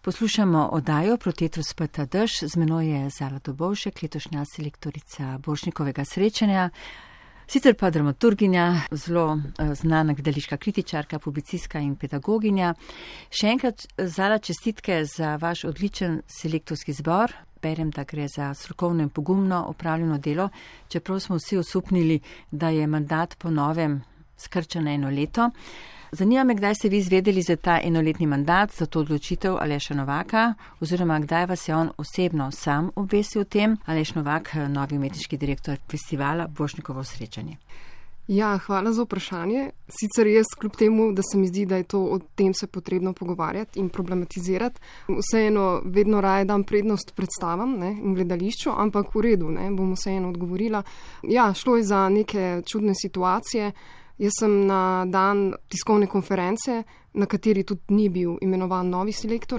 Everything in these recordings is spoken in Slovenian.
Poslušamo oddajo Protetru speta dež, z menoj je Zala Dobovšek, letošnja selektorica Borštnikovega srečanja, sicer pa dramaturginja, zelo znana gledališka kritičarka, publicistka in pedagoginja. Še enkrat, Zala, čestitke za vaš odličen selektorski zbor. Berem, da gre za strokovno in pogumno opravljeno delo, čeprav smo vsi osupnili, da je mandat po novem skrčen na 1 leto. Zanima me, kdaj ste vi izvedeli za ta 1-letni mandat, za to odločitev Aleša Novaka, oziroma kdaj vas je on osebno sam obvestil o tem, Aleš Novak, novi umetniški direktor festivala Borštnikovo srečanje. Ja, hvala za vprašanje. Sicer jaz kljub temu, da se mi zdi, da je to o tem se potrebno pogovarjati in problematizirati, vseeno vedno raje dam prednost predstavam in gledališču, ampak v redu, bom vseeno odgovorila. Ja, šlo je za neke čudne situacije. Jaz sem na dan tiskovne konference, na kateri tudi ni bil imenovan novi selektor,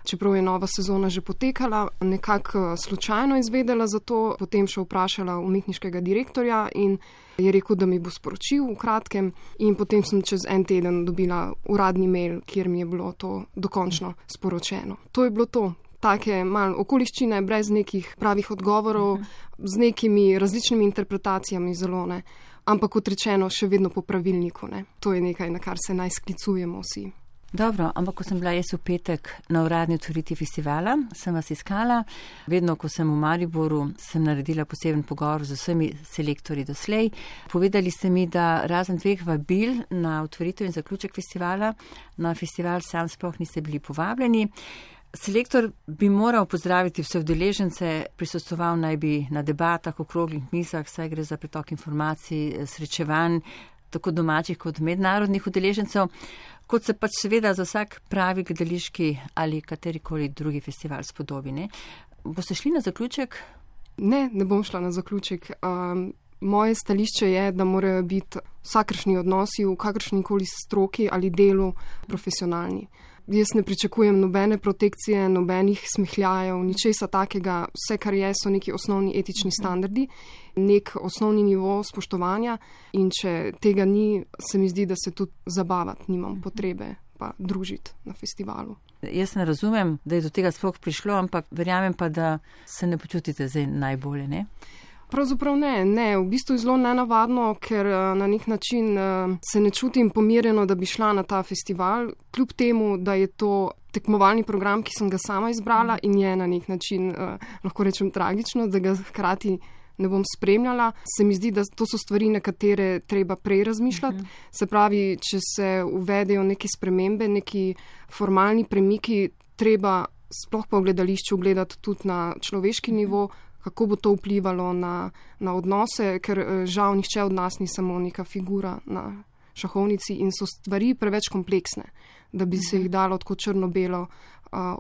čeprav je nova sezona že potekala, nekako slučajno izvedela za to, potem še vprašala umetniškega direktorja in je rekel, da mi bo sporočil v kratkem, in potem sem čez 1 teden dobila uradni mail, kjer mi je bilo to dokončno sporočeno. To je bilo to. Take malo okoliščine, brez nekih pravih odgovorov, z nekimi različnimi interpretacijami zelo, ampak kot rečeno, še vedno po pravilniku. To je nekaj, na kar se naj sklicujemo vsi. Dobro, ampak ko sem bila jaz v petek na uradni otvoritvi festivala, sem vas iskala. Vedno, ko sem v Mariboru, sem naredila poseben pogovor z vsemi selektorji doslej. Povedali ste mi, da razen 2 vabil na otvoritev in zaključek festivala, na festival sam sploh niste bili povabljeni. Selektor bi moral pozdraviti vse udeležence, prisostoval naj bi na debatah, okroglih mizah, saj gre za pretok informacij, srečevanj, tako domačih kot mednarodnih udeležencev, kot se pač seveda za vsak pravi gledališki ali katerikoli drugi festival spodobi. Boste šli na zaključek? Ne bom šla na zaključek. Moje stališče je, da morajo biti vsakršni odnosi v kakršnikoli stroki ali delu profesionalni. Jaz ne pričakujem nobene protekcije, nobenih smehljajev, ničesa takega. Vse, kar je, so neki osnovni etični standardi, nek osnovni nivo spoštovanja, in če tega ni, se mi zdi, da se tudi zabavati nimam potrebe pa družiti na festivalu. Jaz ne razumem, da je do tega sploh prišlo, ampak verjamem pa, da se ne počutite zdaj najbolje, ne? Pravzaprav ne. V bistvu je zelo nenavadno, ker na nek način se ne čutim pomirjeno, da bi šla na ta festival, kljub temu, da je to tekmovalni program, ki sem ga sama izbrala in je na nek način, lahko rečem, tragično, da ga hkrati ne bom spremljala. Se mi zdi, da to so stvari, na katere treba prej razmišljati. Se pravi, če se uvedejo neke spremembe, neki formalni premiki, treba sploh pa v gledališču gledati tudi na človeški nivo, kako bo to vplivalo na odnose, ker žal nihče od nas ni samo neka figura na šahovnici in so stvari preveč kompleksne, da bi se jih dalo tako črno-belo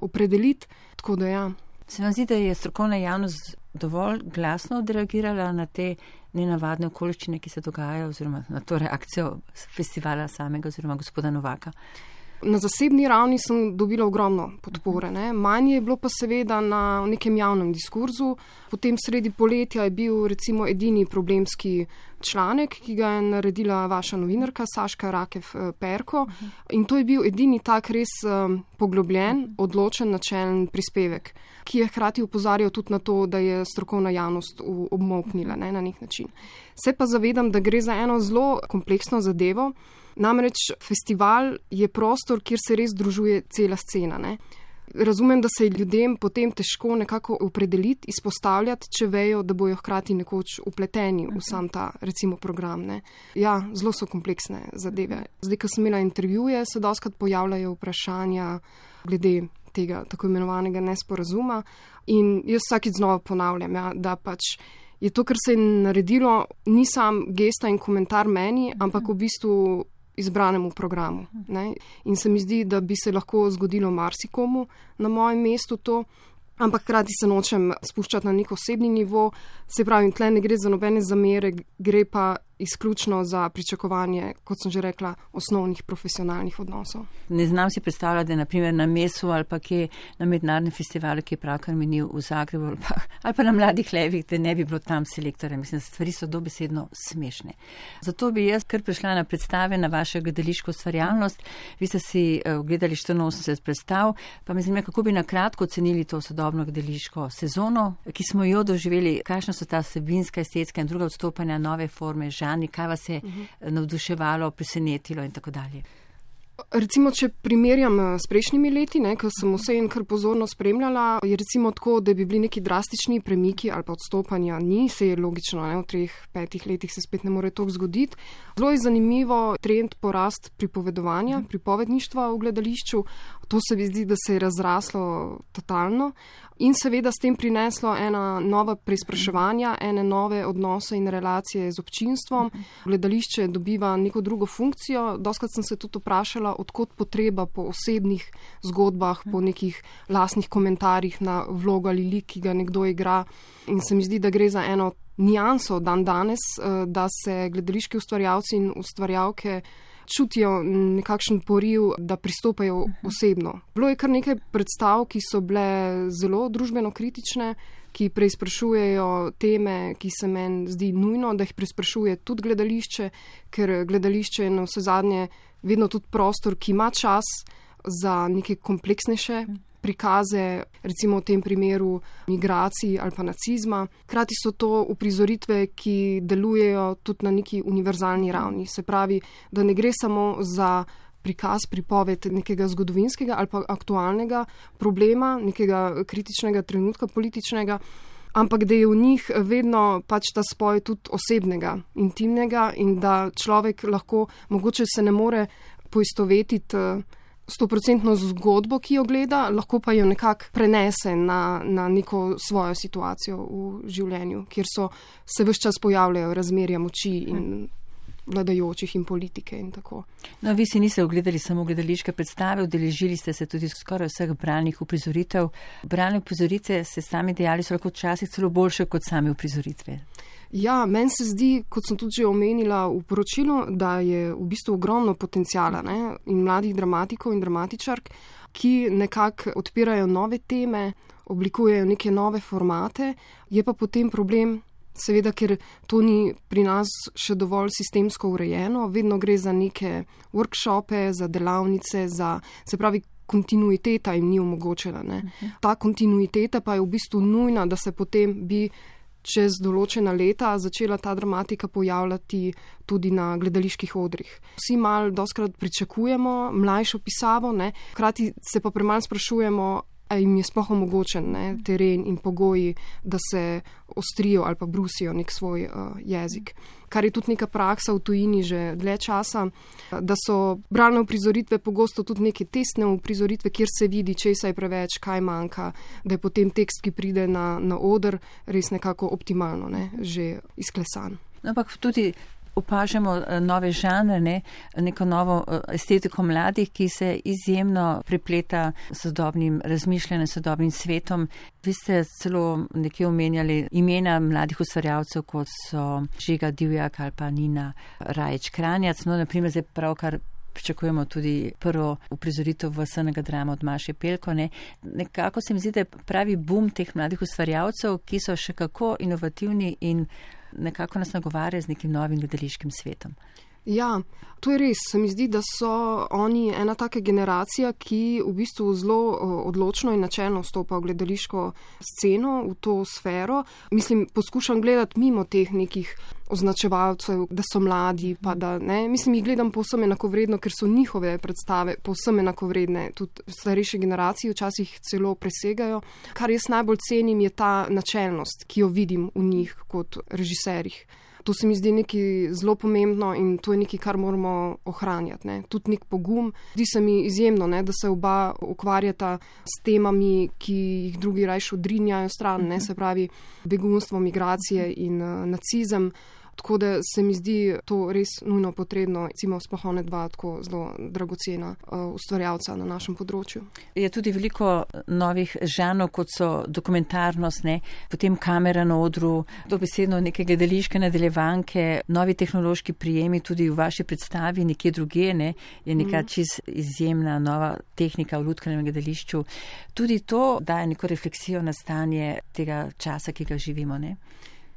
opredeliti. Tako da ja. Se vam zdi, da je strokovna javnost dovolj glasno odreagirala na te nenavadne okoliščine, ki se dogajajo, oziroma na to reakcijo festivala samega oziroma gospoda Novaka? Na zasebni ravni sem dobila ogromno podpore. Manj je bilo pa seveda na nekem javnem diskurzu. Potem sredi poletja je bil recimo edini problemski članek, ki ga je naredila vaša novinarka Saška Rakev-Perko. In to je bil edini tak res poglobljen, odločen, načelen prispevek, ki je hkrati opozarjal tudi na to, da je strokovna javnost obmolknila na nek način. Se pa zavedam, da gre za eno zelo kompleksno zadevo. Namreč festival je prostor, kjer se res združuje cela scena. Razumem, da se je ljudem potem težko nekako opredeliti, izpostavljati, če vejo, da bojo hkrati nekoč upleteni v sam ta, recimo, program. Ja, zelo so kompleksne zadeve. Zdaj, ko sem imela intervjuje, se dostikrat pojavljajo vprašanja glede tega tako imenovanega nesporazuma in jaz vsakič znova ponavljam, da pač je to, kar se je naredilo, ni sam gesta in komentar meni, ampak v bistvu izbranemu programu. In se mi zdi, da bi se lahko zgodilo marsikomu na mojem mestu to, ampak hkrati se nočem spuščati na nek osebni nivo. Se pravi, tle ne gre za nobene zamere, gre pa izključno za pričakovanje, kot sem že rekla, osnovnih profesionalnih odnosov. Ne znam si predstavljati, da je naprimer na mesu ali pa kje na mednarodnem festivalu, ki je pravkar minil v Zagrebu ali pa na Mladih levih, da ne bi bilo tam selektorja. Mislim, da stvari so dobesedno smešne. Zato bi jaz kar prišla na predstave na vašo gledališko ustvarjalnost. Vi ste si gledali 84 predstav, pa me zanima, kako bi na kratko ocenili to sodobno gledališko sezono, ki smo jo doživeli, kakšna so ta vsebinska, estetska in druga odstopanja, nove forme, žanri, kaj vas je navduševalo, presenetilo in tako dalje. Recimo, če primerjam s prejšnjimi leti, ko sem vse in kar pozorno spremljala, je recimo tako, da bi bili neki drastični premiki ali pa odstopanja, ni, se je logično, v 3-5 letih se spet ne more toliko zgoditi. Zelo je zanimivo trend porast pripovedovanja, pripovedništva v gledališču, to se mi zdi, da se je razraslo totalno in seveda s tem prineslo ena nova preizpraševanja, ene nove odnose in relacije z občinstvom. Gledališče dobiva neko drugo funkcijo, dostakrat sem se tudi vprašala, odkot potreba po osebnih zgodbah, po nekih lastnih komentarjih na vlogo ali lik, ki ga nekdo igra. In se mi zdi, da gre za eno nianso dan danes, da se gledališki ustvarjalci in ustvarjalke čutijo nekakšen poriv, da pristopajo osebno. Bilo je kar nekaj predstav, ki so bile zelo družbeno kritične, ki preizprašujejo teme, ki se meni zdi nujno, da jih preizprašuje tudi gledališče, ker gledališče je na vse zadnje vedno tudi prostor, ki ima čas za neke kompleksnejše prikaze, recimo v tem primeru migracij ali pa nacizma. Krati so to uprizoritve, ki delujejo tudi na neki univerzalni ravni. Se pravi, da ne gre samo za prikaz, pripoved nekega zgodovinskega ali pa aktualnega problema, nekega kritičnega trenutka političnega, ampak da je v njih vedno pač ta spoj tudi osebnega, intimnega in da človek lahko, mogoče se ne more poistovetiti 100% zgodbo, ki jo gleda, lahko pa jo nekako prenese na neko svojo situacijo v življenju, kjer se ves čas pojavljajo razmerja moči in vladajočih in politike in tako. No, vi si niste ogledali samo gledališke predstave, udeležili ste se tudi skoraj vseh bralnih uprizoritev. Bralne uprizoritve, ste sami dejali, so lahko včasih celo boljše kot same uprizoritve. Ja, meni se zdi, kot sem tudi že omenila v poročilu, da je v bistvu ogromno potencijala in mladih dramatikov in dramatičark, ki nekako odpirajo nove teme, oblikujejo neke nove formate, je pa potem problem, seveda, ker to ni pri nas še dovolj sistemsko urejeno, vedno gre za neke workshope, za delavnice, se pravi, kontinuiteta jim ni omogočena. Ta kontinuiteta pa je v bistvu nujna, da se potem bi čez določena leta začela ta dramatika pojavljati tudi na gledaliških odrih. Vsi malo doskrat pričakujemo mlajšo pisavo, hkrati se pa premalo sprašujemo, a jim je sploh omogočen teren in pogoji, da se ostrijo ali pa brusijo nek svoj jezik. Kar je tudi neka praksa v tujini že dlje časa, da so bralne uprizoritve pogosto tudi neke testne uprizoritve, kjer se vidi, česa je preveč, kaj manjka, da je potem tekst, ki pride na oder, res nekako optimalno, že izklesan. Ampak tudi opažamo nove žanre, neko novo estetiko mladih, ki se izjemno prepleta s sodobnim razmišljanjem, sodobnim svetom. Vi ste celo nekje omenjali imena mladih ustvarjalcev, kot so Žiga Divjak ali pa Nina Rajić-Kranjac. No, naprimer, zdaj pravkar pričakujemo tudi prvo uprizoritev SNG drama od Maše Pelko. Nekako se mi zdi, da je pravi boom teh mladih ustvarjalcev, ki so še kako inovativni in nekako nas nagovarja z nekim novim gledališkim svetom. Ja, to je res. Se mi zdi, da so oni ena taka generacija, ki v bistvu zelo odločno in načelno vstopa v gledališko sceno, v to sfero. Mislim, poskušam gledati mimo teh nekih označevalcev, da so mladi, pa da ne. Mislim, jih gledam povsem enakovredno, ker so njihove predstave povsem enakovredne. Tudi starejše generacije včasih celo presegajo. Kar jaz najbolj cenim, je ta načelnost, ki jo vidim v njih kot režiserjih. To se mi zdi nekaj zelo pomembno in to je nekaj, kar moramo ohranjati. Tudi nek pogum. Zdi se mi izjemno, da se oba ukvarjata s temami, ki jih drugi rajš odrinjajo stran, se pravi begunstvo, migracije in nacizem. Tako da se mi zdi to res nujno potrebno, recimo sploh one dva tako zelo dragocena ustvarjalca na našem področju. Je tudi veliko novih žanrov, kot so dokumentarnost, potem kamera na odru, dobesedno neke gledališke nadaljevanke, novi tehnološki prijemi tudi v vaši predstavi, nekje druge, je neka čist izjemna nova tehnika v lutkovnem gledališču. Tudi to daje neko refleksijo na stanje tega časa, ki ga živimo, ne?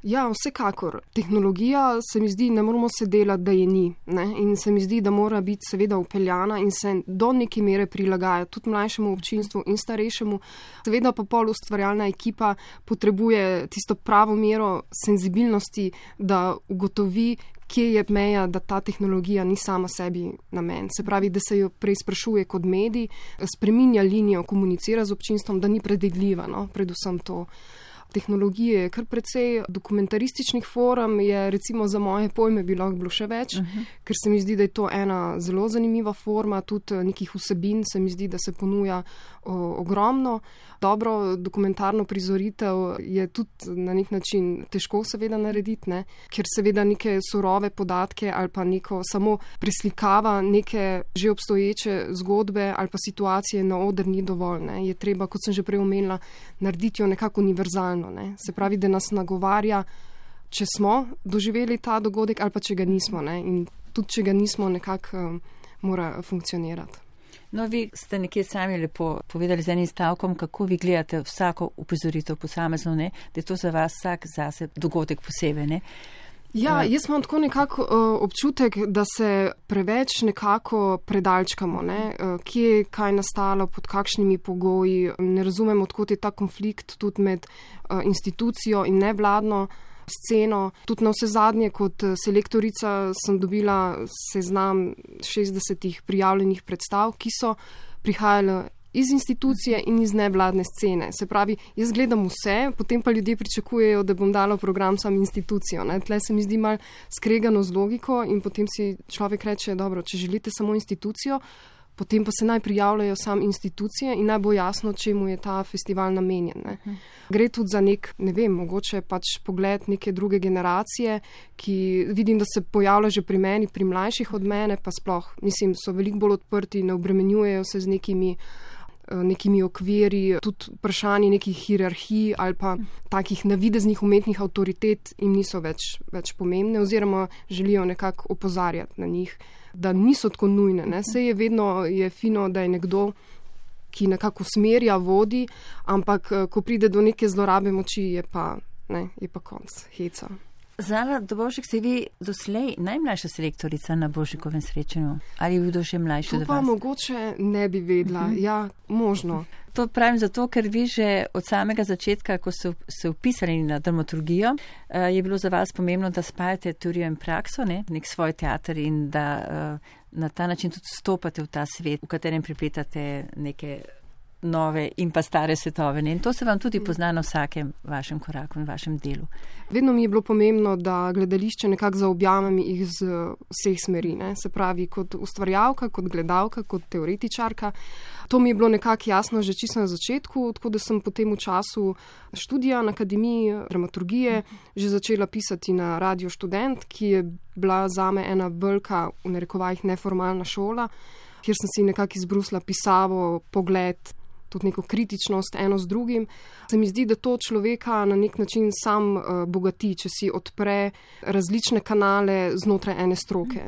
Ja, vsekakor. Tehnologija se mi zdi, ne moramo se delati, da je ni. Ne? In se mi zdi, da mora biti seveda upeljana in se do neke mere prilagaja tudi mlajšemu občinstvu in starejšemu. Seveda pa pol ustvarjalna ekipa potrebuje tisto pravo mero senzibilnosti, da ugotovi, kje je meja, da ta tehnologija ni sama sebi namen. Se pravi, da se jo preizprašuje kot medij, spreminja linijo, komunicira z občinstvom, da ni predvidljiva, predvsem to. Tehnologije je kar precej, dokumentarističnih form je recimo za moje pojme bi lahko bilo še več, ker se mi zdi, da je to ena zelo zanimiva forma, tudi nekih vsebin se mi zdi, da se ponuja ogromno. Dobro dokumentarno prizoritev je tudi na nek način težko seveda narediti, ker seveda neke surove podatke ali pa neko samo preslikava neke že obstoječe zgodbe ali pa situacije na oder ni dovolj. Je treba, kot sem že prej omenila, narediti jo nekako univerzalno. Se pravi, da nas nagovarja, če smo doživeli ta dogodek ali pa če ga nismo. In tudi, če ga nismo, nekako mora funkcionirati. No, vi ste nekje sami lepo povedali z enim stavkom, kako vi gledate vsako uprizoritev posamezno, da je to za vas vsak zase dogodek posebej, ne? Ja, jaz imam tako nekako občutek, da se preveč nekako predalčkamo, kje je kaj nastalo, pod kakšnimi pogoji, ne razumem, odkot je ta konflikt tudi med institucijo in nevladno sceno. Tudi na vse zadnje, kot selektorica sem dobila seznam 60 prijavljenih predstav, ki so prihajale iz institucije in iz nevladne scene. Se pravi, jaz gledam vse, potem pa ljudje pričakujejo, da bom dala program sam institucijo. Tle se mi zdi malo skregano z logiko in potem si človek reče, dobro, če želite samo institucijo, potem pa se naj prijavljajo sam institucije in naj bo jasno, čemu je ta festival namenjen. Gre tudi za nek, ne vem, mogoče pač pogled neke druge generacije, ki vidim, da se pojavlja že pri meni, pri mlajših od mene, pa sploh, mislim, so veliko bolj odprti, ne obremenjujejo se z nekimi okviri, tudi vprašanje nekih hierarhij ali pa takih navideznih umetnih avtoritet jim niso več pomembne oziroma želijo nekako opozarjati na njih, da niso tako nujne. Saj je vedno je fino, da je nekdo, ki nekako usmerja, vodi, ampak ko pride do neke zlorabe moči, je pa konc heca. Zala Dobovšek, ste vi doslej najmlajša selektorica na Borštnikovem srečanju? Ali je bil še mlajši od vas? To pa mogoče ne bi vedela. Ja, možno. To pravim zato, ker vi že od samega začetka, ko ste se vpisali na dramaturgijo, je bilo za vas pomembno, da spajate teorijo in prakso, nek svoj teater in da na ta način tudi stopate v ta svet, v katerem pripletate neke nove in pa stare svetove. In to se vam tudi pozna na vsakem vašem koraku in vašem delu. Vedno mi je bilo pomembno, da gledališče nekako zaobjamem jih z vseh smeri. Se pravi, kot ustvarjalka, kot gledalka, kot teoretičarka. To mi je bilo nekako jasno že čisto na začetku, tako da sem potem v času študija na Akademiji dramaturgije že začela pisati na Radio Študent, ki je bila zame ena velika, v narekovajih, neformalna šola, kjer sem si nekako izbrusila pisavo, pogled, tudi neko kritičnost eno z drugim. Se mi zdi, da to človeka na nek način sam bogati, če si odpre različne kanale znotraj ene stroke.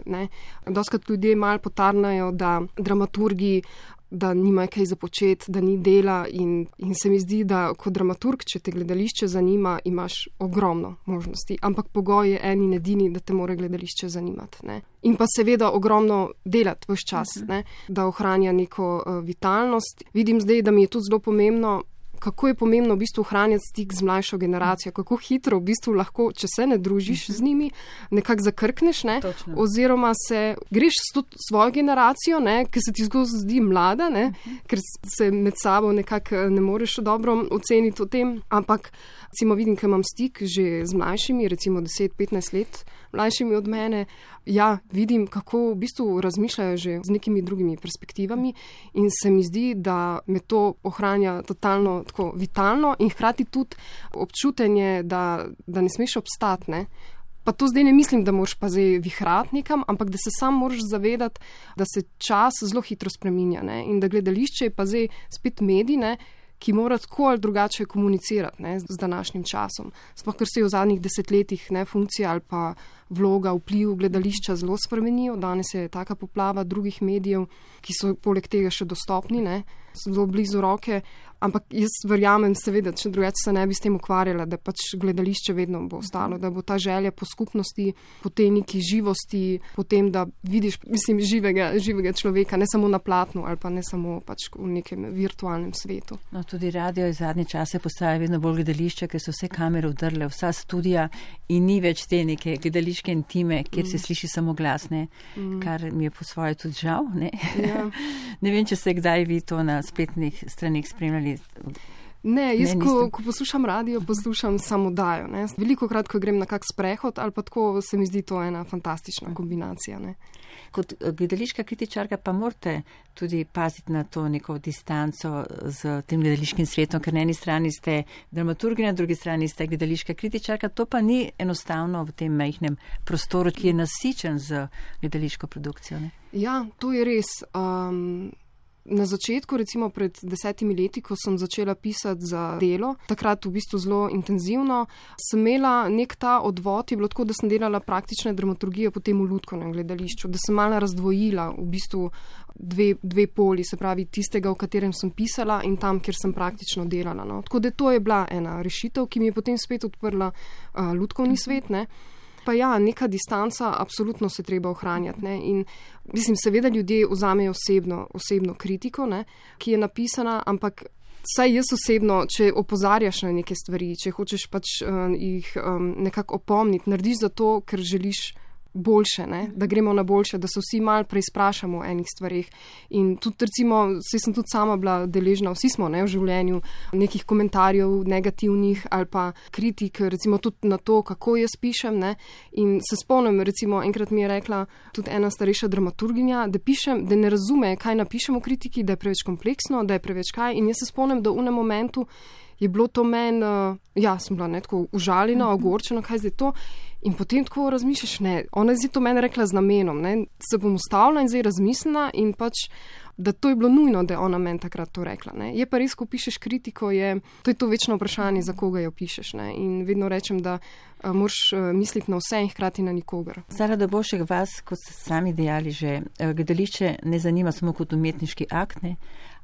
Dostikrat ljudje malo potarnajo, da dramaturgi, da nimajo kaj za početi, da ni dela in se mi zdi, da kot dramaturg, če te gledališče zanima, imaš ogromno možnosti, ampak pogoj je en in edini, da te mora gledališče zanimati. In pa seveda ogromno delati vse čas, da ohranja neko vitalnost. Vidim zdaj, da mi je tudi zelo pomembno, kako je pomembno v bistvu ohranjati stik z mlajšo generacijo, kako hitro v bistvu lahko, če se ne družiš z njimi, nekako zakrkneš, oziroma greš s svojo generacijo, ker se ti zdi mlada, ker se med sabo nekako ne moreš dobro oceniti o tem, ampak recimo vidim, ker imam stik že z mlajšimi, recimo 10-15 let mlajšimi od mene, ja, vidim, kako v bistvu razmišljajo že z nekimi drugimi perspektivami in se mi zdi, da me to ohranja totalno tako vitalno in hkrati tudi občutenje, da ne smeš obstati, Pa to zdaj ne mislim, da moraš pa zdaj vihrati nekam, ampak da se sam moraš zavedati, da se čas zelo hitro spreminja, ne? In da gledališče je pa zdaj spet medij, ne? Ki mora tako ali drugače komunicirati, ne, z današnjim časom. Sploh, ker se je v zadnjih desetletjih, ne, funkcija ali pa vloga, vpliv gledališča zelo spremenijo. Danes je taka poplava drugih medijev, ki so poleg tega še dostopni, ne, so zelo blizu roke. Ampak jaz verjamem, seveda, če drugače se ne bi s tem ukvarjala, da pač gledališče vedno bo ostalo, da bo ta želja po skupnosti, po tej neki živosti, po tem, da vidiš, mislim, živega človeka, ne samo na platnu ali pa ne samo pač v nekem virtualnem svetu. No, tudi radio je zadnje čase postaja vedno bolj gledališče, ker so vse kamere vdrle, vsa studija in ni več te neke gledališke intime, kjer se sliši samo glas, ne, kar mi je po svoje tudi žal, ne. Ja. Ne vem, če ste kdaj vi to na spletnih straneh spremljali. Ne, jaz ko poslušam radio, poslušam samo oddajo. Veliko krat, ko grem na kak sprehod ali pa tako, se mi zdi to ena fantastična kombinacija. Ne. Kot gledališka kritičarka pa morate tudi paziti na to neko distanco z tem gledališkim svetom, ker na eni strani ste dramaturginja, na drugi strani ste gledališka kritičarka, to pa ni enostavno v tem majhnem prostoru, ki je nasičen z gledališko produkcijo. Ne. Ja, to je res. Na začetku, recimo pred 10 leti, ko sem začela pisati za Delo, takrat v bistvu zelo intenzivno, sem imela nek ta odvod, je bilo tako, da sem delala praktične dramaturgije potem v Lutkovnem gledališču, da sem malo razdvojila v bistvu dve poli, se pravi tistega, v katerem sem pisala in tam, kjer sem praktično delala. No. Tako da to je bila ena rešitev, ki mi je potem spet odprla Lutkovni svet, ne. Pa ja, neka distanca, absolutno se treba ohranjati. Ne? In mislim, seveda ljudje vzamejo osebno kritiko, ne? Ki je napisana, ampak saj jaz osebno, če opozarjaš na neke stvari, če hočeš pač jih nekako opomniti, narediš zato, ker želiš boljše, ne? Da gremo na boljše, da se vsi malo preizprašamo o enih stvarih. In tudi recimo, saj sem tudi sama bila deležna, vsi smo, ne, v življenju nekih komentarjev negativnih ali pa kritik, recimo tudi na to, kako jaz pišem, ne. In se spomnim, recimo, enkrat mi je rekla tudi ena starejša dramaturginja, da pišem, da ne razume, kaj napišem v kritiki, da je preveč kompleksno, da je preveč kaj. In jaz se spomnim, da v enem momentu je bilo to meni, sem bila tako užaljena, ogorčena, kaj zdaj to. In potem tako razmišljaš, ne, ona je zdaj to meni rekla z namenom, ne, se bom ustavila in zdaj razmislila in pač, da to je bilo nujno, da je ona meni takrat to rekla, ne. Je pa res, ko pišeš kritiko, to je to večno vprašanje, za koga jo pišeš, ne. In vedno rečem, da moraš misliti na vse in hkrati na nikogar. Zara Dobovšek, vas, kot ste sami dejali že, gledališče ne zanima samo kot umetniški akt, ne,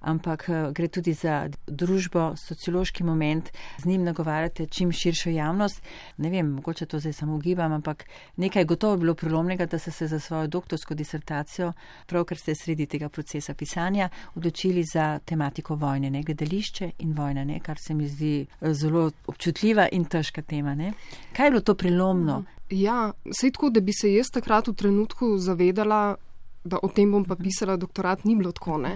ampak gre tudi za družbo, sociološki moment, z njim nagovarjate čim širšo javnost. Ne vem, mogoče to zdaj samo ugibam, ampak nekaj gotovo bilo prelomnega, da ste se za svojo doktorsko disertacijo, pravkar ste sredi tega procesa pisanja, odločili za tematiko vojne, ne, gledališče in vojna, ne, kar se mi zdi zelo občutljiva in težka tema, ne. Kaj je bilo to prelomno? Ja, saj tako, da bi se jaz takrat v trenutku zavedala, da o tem bom pa pisala doktorat, ni bilo tako, ne.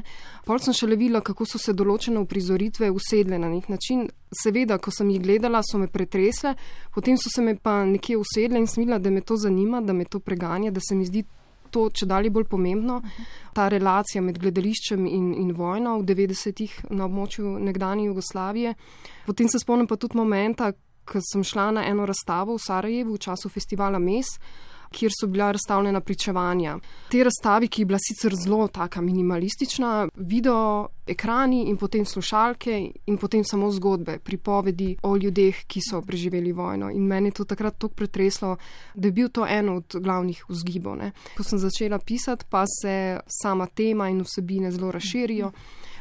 Pol sem šele videla, kako so se določene uprizoritve usedle na nek način. Seveda, ko sem jih gledala, so me pretresle, potem so se me pa nekje usedle in sem videla, da me to zanima, da me to preganja, da se mi zdi to čedalje bolj pomembno, ta relacija med gledališčem in vojno v 90-ih na območju nekdanje Jugoslavije. Potem se spomnim pa tudi momenta, ko sem šla na eno razstavo v Sarajevu v času festivala Mes, kjer so bila razstavljena pričevanja. Te razstavi, ki je bila sicer zelo taka minimalistična, video ekrani in potem slušalke in potem samo zgodbe, pripovedi o ljudeh, ki so preživeli vojno. In meni je to takrat toliko pretreslo, da je bil to eno od glavnih vzgibov, ne. Ko sem začela pisati, pa se sama tema in vsebine zelo razširijo.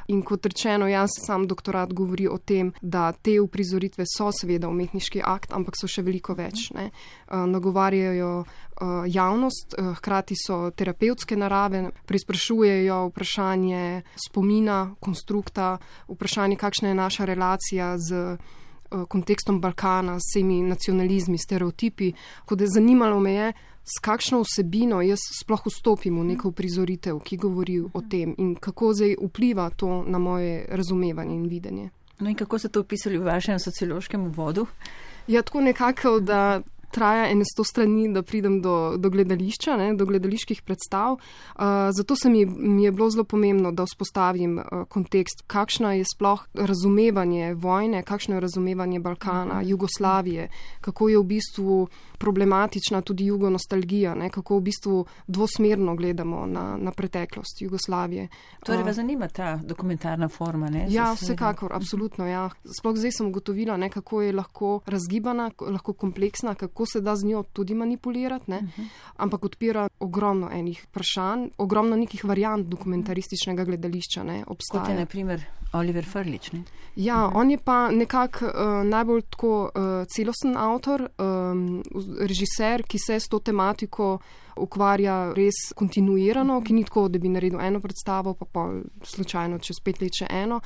In kot rečeno, sam doktorat govori o tem, da te uprizoritve so seveda umetniški akt, ampak so še veliko več, ne. Nagovarjajo javnost, hkrati so terapevtske narave, preizprašujejo vprašanje spomina, konstrukta, vprašanje, kakšna je naša relacija z kontekstom Balkana, s vsemi nacionalizmi, stereotipi, kot da zanimalo me je, s kakšno vsebino jaz sploh vstopim v neko prizoritev, ki govori o tem in kako zdaj vpliva to na moje razumevanje in videnje. No in kako ste to opisali v vašem sociološkem uvodu? Ja, tako nekako, da traja 100 strani, da pridem do gledališča, ne, do gledaliških predstav. Zato mi je bilo zelo pomembno, da vzpostavim kontekst, kakšno je sploh razumevanje vojne, kakšno je razumevanje Balkana, Jugoslavije, kako je v bistvu problematična tudi jugonostalgija, ne, kako v bistvu dvosmerno gledamo na preteklost Jugoslavije. Torej vas zanima ta dokumentarna forma, ne? Ja, vsekakor, absolutno, ja. Sploh zdaj sem ugotovila, ne, kako je lahko razgibana, lahko kompleksna, kako se da z njo tudi manipulirati, ne? Ampak odpira ogromno enih vprašanj, ogromno nekih variant dokumentarističnega gledališča, ne, obstaja. Kot je na primer Oliver Frljić, ne? Ja, on je pa nekako najbolj tako celosten avtor, režiser, ki se s to tematiko ukvarja res kontinuirano, ki ni tako, da bi naredil eno predstavo, pa slučajno čez 5 let še eno,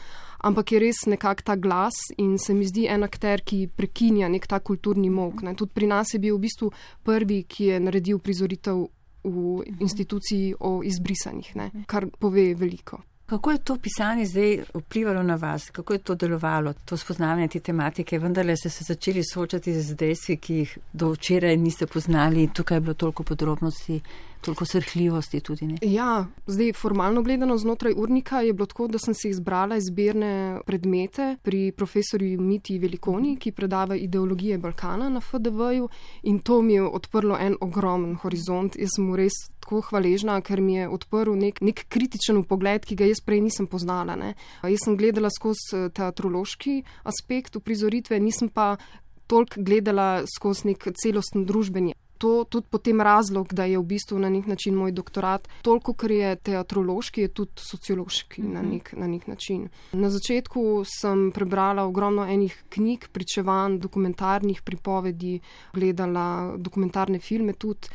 ampak je res nekak ta glas in se mi zdi en akter, ki prekinja nek ta kulturni molk. Tudi pri nas je bil v bistvu prvi, ki je naredil prizoritev v instituciji o izbrisanih, ne, kar pove veliko. Kako je to pisanje zdaj vplivalo na vas? Kako je to delovalo, to spoznavanje te tematike? Vendarle ste se začeli soočati z dejstvi, ki jih do včeraj niste poznali. Tukaj je bilo toliko podrobnosti, toliko srhljivosti tudi, ne? Ja, zdaj formalno gledano znotraj urnika je bilo tako, da sem si izbrala izbirne predmete pri profesorju Mitji Velikoni, ki predava ideologije Balkana na FDV-ju, in to mi je odprlo en ogromen horizont. Jaz sem mu res tako hvaležna, ker mi je odprl nek kritičen pogled, ki ga jaz prej nisem poznala, ne. Jaz sem gledala skozi teatrološki aspekt uprizoritve, nisem pa toliko gledala skozi nek celosten družbeni. To tudi potem razlog, da je v bistvu na nek način moj doktorat, toliko, ker je teatrološki, je tudi sociološki na nek način. Na začetku sem prebrala ogromno enih knjig, pričevanj, dokumentarnih pripovedi, gledala dokumentarne filme tudi.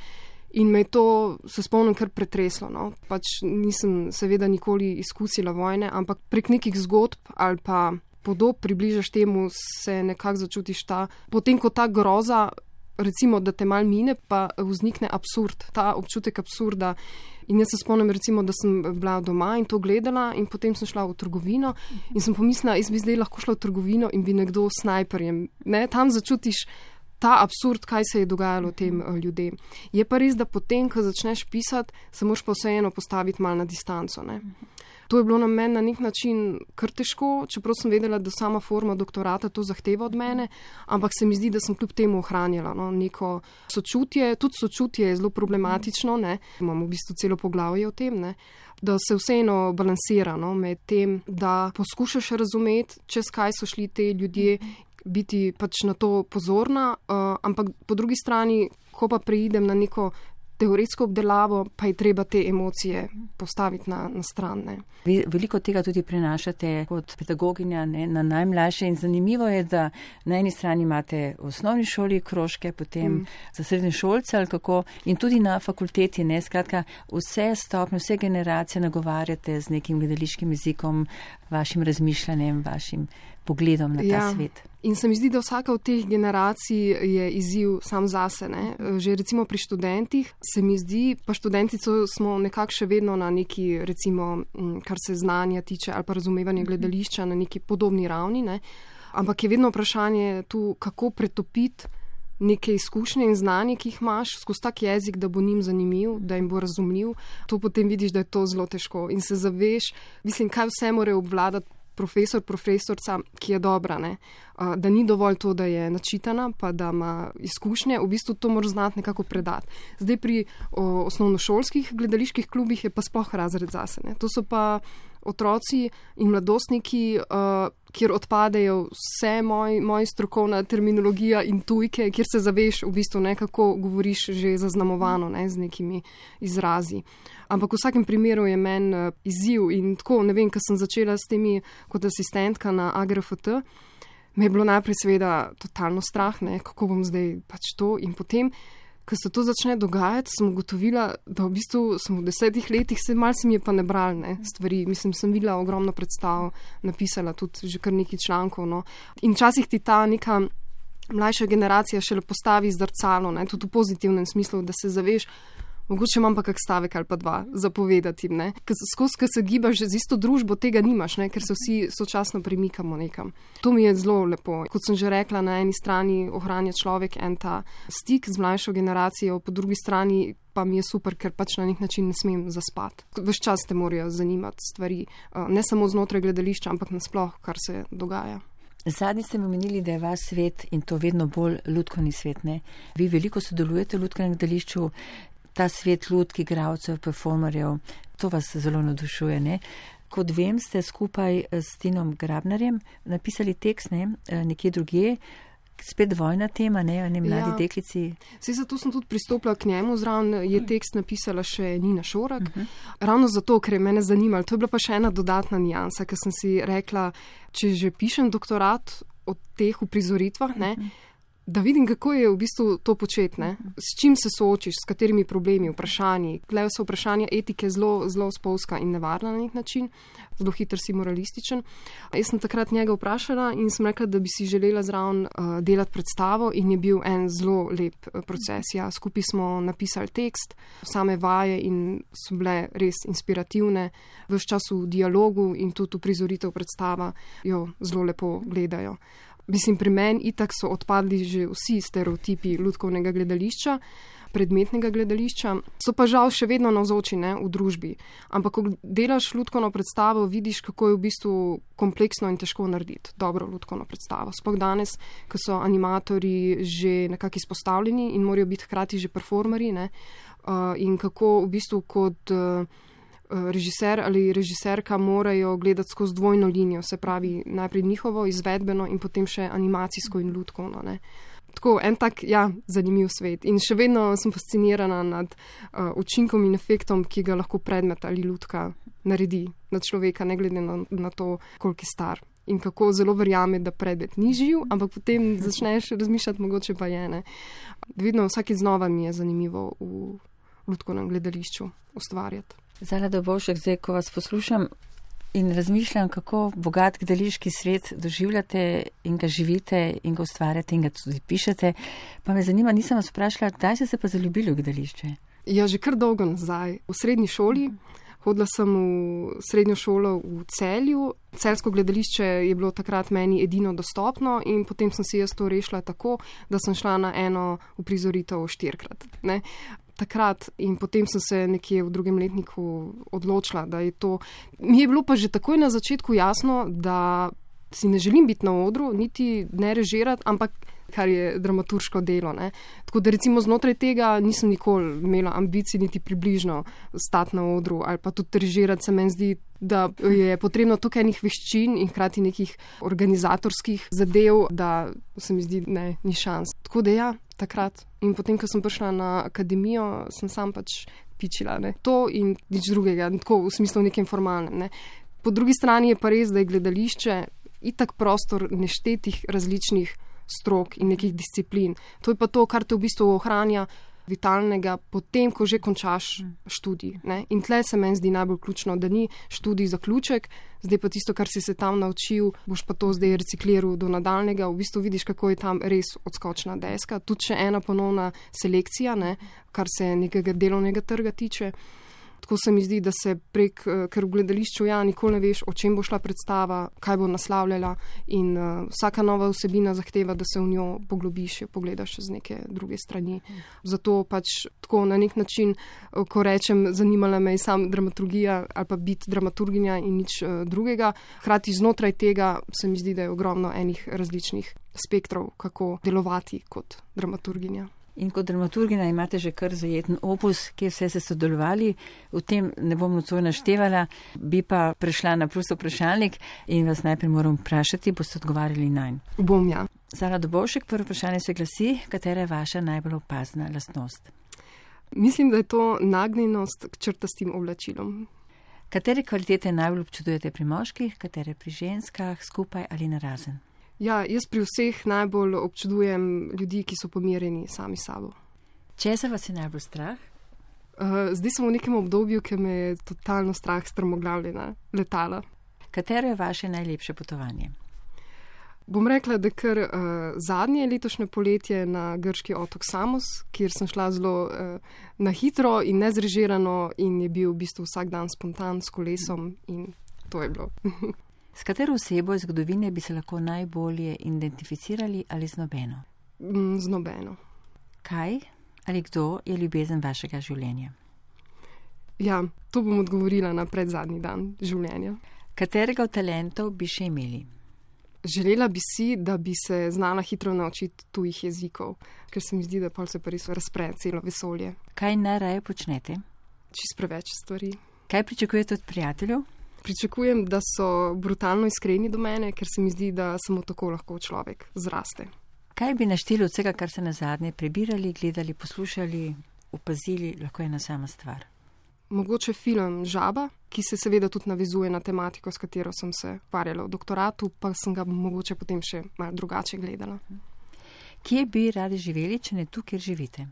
In me je to, se spomnim, kar pretreslo, no. Pač nisem seveda nikoli izkusila vojne, ampak prek nekih zgodb ali pa podob približaš temu, se nekako začutiš potem ko ta groza, recimo, da te mal mine, pa vznikne absurd, ta občutek absurda. In jaz se spomnim, recimo, da sem bila doma in to gledala in potem sem šla v trgovino in sem pomislila, jaz bi zdaj lahko šla v trgovino in bi nekdo s snajperjem, ne, tam začutiš ta absurd, kaj se je dogajalo tem ljudem. Je pa res, da potem, ko začneš pisati, se moraš pa vseeno postaviti malo na distanco, ne. To je bilo na meni na nek način kar težko, čeprav sem vedela, da sama forma doktorata to zahteva od mene, ampak se mi zdi, da sem kljub temu ohranjala, no, neko sočutje. Tudi sočutje je zelo problematično, ne. Imamo v bistvu celo poglavje o tem, ne, da se vseeno balansira, no, med tem, da poskušaš razumeti, čez kaj so šli te ljudje, biti pač na to pozorna, ampak po drugi strani, ko pa preidem na neko teoretsko obdelavo, pa je treba te emocije postaviti na stran, ne. Vi veliko tega tudi prenašate kot pedagoginja, ne, na najmlajše in zanimivo je, da na eni strani imate v osnovni šoli krožke, potem za srednješolce ali kako in tudi na fakulteti, ne, skratka vse stopnje, vse generacije nagovarjate z nekim gledališkim jezikom, vašim razmišljanjem, vašim pogledom na ta svet. In se mi zdi, da vsaka od teh generacij je izziv sam zase, ne. Že recimo pri študentih se mi zdi, pa študentico smo nekako še vedno na neki, recimo, kar se znanja tiče ali pa razumevanja gledališča na neki podobni ravni, ne. Ampak je vedno vprašanje tu, kako pretopiti neke izkušnje in znanje, ki jih imaš, skozi tak jezik, da bo njim zanimiv, da jim bo razumljiv. To potem vidiš, da je to zelo težko in se zaveš, mislim, kaj vse more obvladati profesorca, ki je dobra, ne. Da ni dovolj to, da je načitana, pa da ima izkušnje, v bistvu to moraš znati nekako predati. Zdaj pri osnovnošolskih gledaliških klubih je pa sploh razred zase, ne. To so pa otroci in mladostniki, kjer odpadejo vse moja strokovna terminologija in tujke, kjer se zaveš v bistvu, ne, kako govoriš že zaznamovano, ne, z nekimi izrazi. Ampak v vsakem primeru je meni izziv in tako, ne vem, ko sem začela s temi kot asistentka na AGRFT, me je bilo najprej seveda totalno strah, ne, kako bom zdaj pač to in potem, ko se to začne dogajati, sem ugotovila, da v bistvu sem v 10 letih, malo se mi je pa nebral, ne, stvari. Mislim, sem videla ogromno predstav, napisala tudi že kar nekaj člankov, no. In včasih ti ta neka mlajša generacija šele postavi zrcalo, ne, tudi v pozitivnem smislu, da se zaveš, Mogoče imam pa kak stavek ali pa dva zapovedati, ne. Skozi, ko se gibaš z isto družbo, tega nimaš, ne, ker se vsi sočasno premikamo nekam. To mi je zelo lepo. Kot sem že rekla, na eni strani ohranja človek en ta stik z mlajšo generacijo, po drugi strani pa mi je super, ker pač na nek način ne smem zaspati. Ves čas te morajo zanimati stvari, ne samo znotraj gledališča, ampak nasploh, kar se dogaja. Zadnji ste mi omenili, da je vaš svet in to vedno bolj lutkovni svet, ne? Vi veliko sodelujete v lutkovnem gledališču, ta svet lutk, igralcev, performerjev, to vas zelo navdušuje, ne? Kot vem, ste skupaj s Tinom Grabnarjem napisali tekst, ne? Nekje drugje, spet vojna tema, ne mladi deklici. Saj zato sem tudi pristopila k njemu, zraven je tekst napisala še Nina Šorak. Ravno zato, ker je mene zanimalo. To je bila pa še ena dodatna nijansa, ker sem si rekla, če že pišem doktorat o teh uprizoritvah, ne, da vidim, kako je v bistvu to početi, ne? S čim se soočiš, s katerimi problemi, vprašanji. Tukaj so vprašanja etike zelo spolzka in nevarna na nek način, zelo hiter si moralističen. Jaz sem takrat njega vprašala in sem rekla, da bi si želela zraven delati predstavo in je bil en zelo lep proces. Ja, skupaj smo napisali tekst, same vaje in so bile res inspirativne. Ves čas v dialogu in tudi uprizoritev predstava jo zelo lepo gledajo. Mislim, pri meni itak so odpadli že vsi stereotipi lutkovnega gledališča, predmetnega gledališča, so pa žal še vedno navzoči, ne, v družbi. Ampak, ko delaš lutkovno predstavo, vidiš, kako je v bistvu kompleksno in težko narediti dobro lutkovno predstavo. Sploh danes, ko so animatorji že nekako izpostavljeni in morajo biti hkrati že performerji, ne, in kako v bistvu kot režiser ali režiserka morajo gledati skozi dvojno linijo, se pravi najprej njihovo izvedbeno in potem še animacijsko in lutkovno, ne. Tako, en tak, zanimiv svet. In še vedno sem fascinirana nad učinkom in efektom, ki ga lahko predmet ali lutka naredi na človeka, ne glede na to, koliko je star. In kako zelo verjame, da predmet ni živ, ampak potem začneš razmišljati, mogoče pa je, ne. Vedno vsakeč znova mi je zanimivo v lutkovnem gledališču ustvarjati. Zala Dobovšek, zdaj, ko vas poslušam in razmišljam, kako bogat gledališki svet doživljate in ga živite in ga ustvarjate in ga tudi pišete, pa me zanima, nisem vas vprašala, kdaj ste se pa zaljubili v gledališče? Ja, že kar dolgo nazaj. V srednji šoli. Hodila sem v srednjo šolo v Celju. Celjsko gledališče je bilo takrat meni edino dostopno in potem sem si jaz to rešila tako, da sem šla na eno uprizoritev 4-krat, ne. Takrat in potem sem se nekje v drugem letniku odločila, da je to. Mi je bilo pa že takoj na začetku jasno, da si ne želim biti na odru, niti ne režirati, ampak kar je dramaturško delo, ne. Tako da recimo znotraj tega nisem nikoli imela ambicij niti približno stati na odru ali pa tudi režirati. Se meni zdi, da je potrebno tukaj enih veščin in hkrati nekih organizatorskih zadev, da se mi zdi, ne, ni šans. Tako da takrat. In potem, ko sem prišla na akademijo, sem sam pač pičila, ne. To in nič drugega, tako v smislu nekem formalnem, ne. Po drugi strani je pa res, da je gledališče itak prostor neštetih različnih strok in nekih disciplin. To je pa to, kar te v bistvu ohranja vitalnega potem, ko že končaš študij, ne. In tle se meni zdi najbolj ključno, da ni študij zaključek, zdaj pa tisto, kar si se tam naučil, boš pa to zdaj recikliral do nadaljnega, v bistvu vidiš, kako je tam res odskočna deska. Tudi še ena ponovna selekcija, ne, kar se nekega delovnega trga tiče. Tako se mi zdi, da se ker v gledališču nikoli ne veš, o čem bo šla predstava, kaj bo naslavljala in vsaka nova vsebina zahteva, da se v njo poglobiš, jo pogledaš z neke druge strani. Zato pač tako na nek način, ko rečem, zanimala me je sam dramaturgija ali pa biti dramaturginja in nič drugega. Hkrati znotraj tega se mi zdi, da je ogromno enih različnih spektrov, kako delovati kot dramaturginja. In kot dramaturgina imate že kar zajeten opus, kjer vse ste sodelovali. V tem ne bom nocoj naštevala, bi pa prešla na prosto vprašalnik in vas najprej moram vprašati, boste odgovarjali nanj. Bom, ja. Zala Dobovšek, prvo vprašanje se glasi, katera je vaša najbolj opazna lastnost? Mislim, da je to nagnjenost k črtastim oblačilom. Katere kvalitete najbolj občudujete pri moških, katere pri ženskah, skupaj ali narazen? Ja, jaz pri vseh najbolj občudujem ljudi, ki so pomirjeni sami sabo. Česa vas je najbolj strah? Zdaj sem v nekem obdobju, ki me je totalno strah strmoglavljena letala. Katero je vaše najlepše potovanje? Bom rekla, da kar zadnje letošnje poletje na grški otok Samos, kjer sem šla zelo na hitro in nezrežirano in je bil v bistvu vsak dan spontan s kolesom in to je bilo. S katero osebo iz zgodovine bi se lahko najbolje identificirali ali z nobeno? Z nobeno. Kaj ali kdo je ljubezen vašega življenja? Ja, to bom odgovorila na predzadnji dan življenja. Katerega od talentov bi še imeli? Želela bi si, da bi se znala hitro naučiti tujih jezikov, ker se mi zdi, da pol se pa res razpre celo vesolje. Kaj najraje počnete? Čist preveč stvari. Kaj pričakujete od prijateljev? Pričakujem, da so brutalno iskreni do mene, ker se mi zdi, da samo tako lahko človek zraste. Kaj bi našteli od vsega, kar ste nazadnje prebirali, gledali, poslušali, opazili, lahko je ena sama stvar? Mogoče film Žaba, ki se seveda tudi navezuje na tematiko, s katero sem se ukvarjala v doktoratu, pa sem ga mogoče potem še malo drugače gledala. Kje bi radi živeli, če ne tu, kjer živite?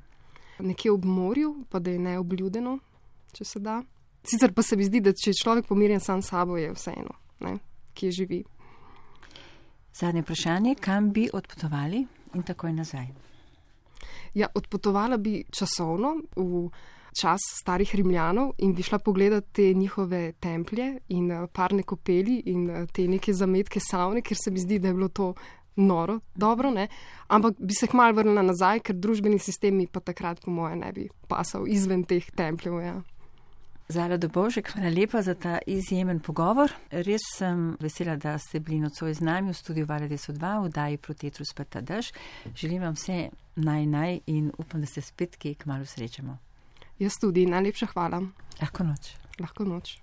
Nekje ob morju, pa da je neobljudeno, če se da. Sicer pa se mi zdi, da če je človek pomirjen sam s sabo, je vseeno, ne, kje živi. Zadnje vprašanje, kam bi odpotovali in takoj nazaj? Ja, odpotovala bi časovno v čas starih Rimljanov in bi šla pogledati te njihove templje in parne kopeli in te neke zametke savne, ker se mi zdi, da je bilo to noro, dobro, ne? Ampak bi se kmalu vrnila nazaj, ker družbeni sistem mi pa takrat po moje ne bi pasal izven teh templjev, ja. Zala Dobovšek, hvala lepa za ta izjemen pogovor. Res sem vesela, da ste bili nocoj z nami v studiu Vala 202, v oddaji Proti etru speta dež. Želim vam vse naj in upam, da se spet kmalu srečamo. Jaz tudi, najlepša hvala. Lahko noč. Lahko noč.